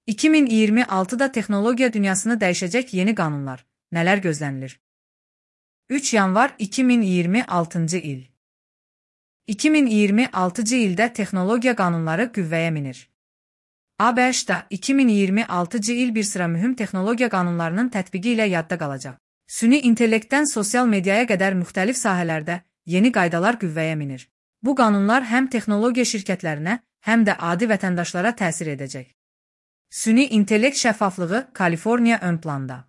2026'da texnologiya dünyasını dəyişəcək yeni qanunlar. Nələr gözlənilir? 3 yanvar 2026-cı il. 2026-cı ildə texnologiya qanunları qüvvəyə minir. ABŞ-da 2026-cı il bir sıra mühüm texnologiya qanunlarının tətbiqi ilə yadda qalacaq. Süni intellektdən sosial mediaya qədər müxtəlif sahələrdə yeni qaydalar qüvvəyə minir. Bu qanunlar həm texnologiya şirkətlərinə, həm də adi vətəndaşlara təsir edəcək. Süni intellekt şəffaflığı Kaliforniya ön planda.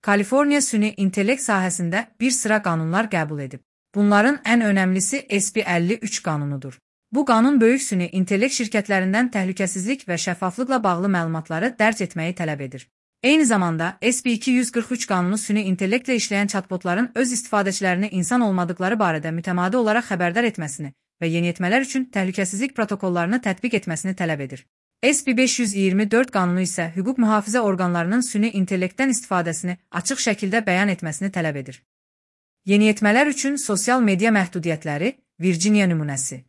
Kaliforniya süni intellekt sahəsində bir sıra qanunlar qəbul edib. Bunların ən önəmlisi SB 53 qanunudur. Bu qanun böyük süni intellekt şirkətlərindən təhlükəsizlik və şəffaflıqla bağlı məlumatları dərc etməyi tələb edir. Eyni zamanda SB 243 qanunu süni intellektlə işləyən chatbotların öz istifadəçilərini insan olmadıkları barədə mütəmadi olaraq xəbərdar etməsini və yeniyetmələr üçün təhlükəsizlik protokollarını tətbiq etməsini tələb edir. SB 524 qanunu isə hüquq mühafizə orqanlarının süni intellektdən istifadəsini açıq şəkildə bəyan etməsini tələb edir. Yeniyetmələr üçün sosial media məhdudiyyətləri, Virginia nümunəsi.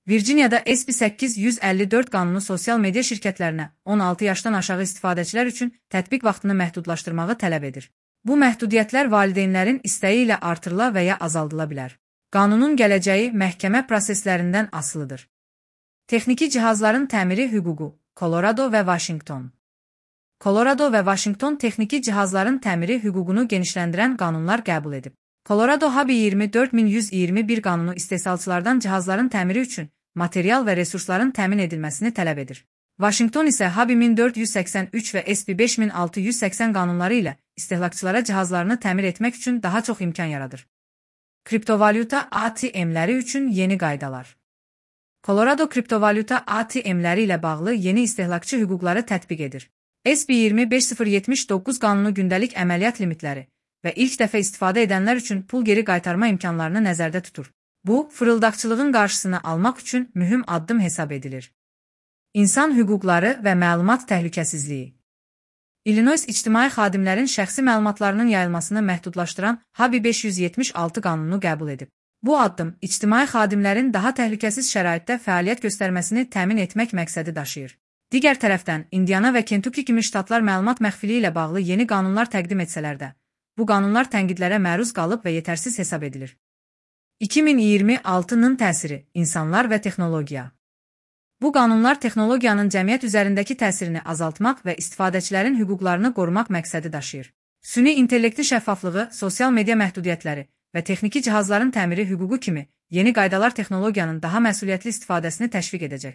Virginiyada SB 854 qanunu sosial media şirkətlərinə 16 yaşdan aşağı istifadəçilər üçün tətbiq vaxtını məhdudlaşdırmağı tələb edir. Bu məhdudiyyətlər valideynlərin istəyi ilə artırıla və ya azaldıla bilər. Qanunun gələcəyi məhkəmə proseslərindən asılıdır. Texniki cihazların təmiri hüququ, Colorado və Washington. Colorado və Washington texniki cihazların təmiri hüququnu genişləndirən qanunlar qəbul edib. Colorado HABI 24121 qanunu istehsalçılardan cihazların təmiri üçün material və resursların təmin edilməsini tələb edir. Washington isə HABI 1483 və SB 5680 qanunları ilə istehlakçılara cihazlarını təmir etmək üçün daha çox imkan yaradır. Kriptovalyuta ATM-ləri üçün yeni qaydalar. Colorado kriptovalyuta ATM-ləri ilə bağlı yeni istehlakçı hüquqları tətbiq edir. SB 25079 qanunu gündəlik əməliyyat limitləri və ilk dəfə istifadə edənlər üçün pul geri qaytarma imkanlarını nəzərdə tutur. Bu, fırıldaqçılığın qarşısını almaq üçün mühüm addım hesab edilir. İnsan hüquqları və məlumat təhlükəsizliyi. Illinois ictimai xadimlərin şəxsi məlumatlarının yayılmasını məhdudlaşdıran HABI 576 qanununu qəbul edib. Bu addım ictimai xadimlərin daha təhlükəsiz şəraitdə fəaliyyət göstərməsini təmin etmək məqsədi daşıyır. Digər tərəfdən, Indiana və Kentucky kimi ştatlar məlumat məxfiliyi ilə bağlı yeni qanunlar təqdim etsələr də, bu qanunlar tənqidlərə məruz qalıb və yetərsiz hesab edilir. 2026-nın təsiri, insanlar və texnologiya. Bu qanunlar texnologiyanın cəmiyyət üzərindəki təsirini azaltmaq və istifadəçilərin hüquqlarını qorumaq məqsədi daşıyır. Süni intellektin şəffaflığı, sosial media məhdudiyyətləri və texniki cihazların təmiri hüququ kimi yeni qaydalar texnologiyanın daha məsuliyyətli istifadəsini təşviq edəcək.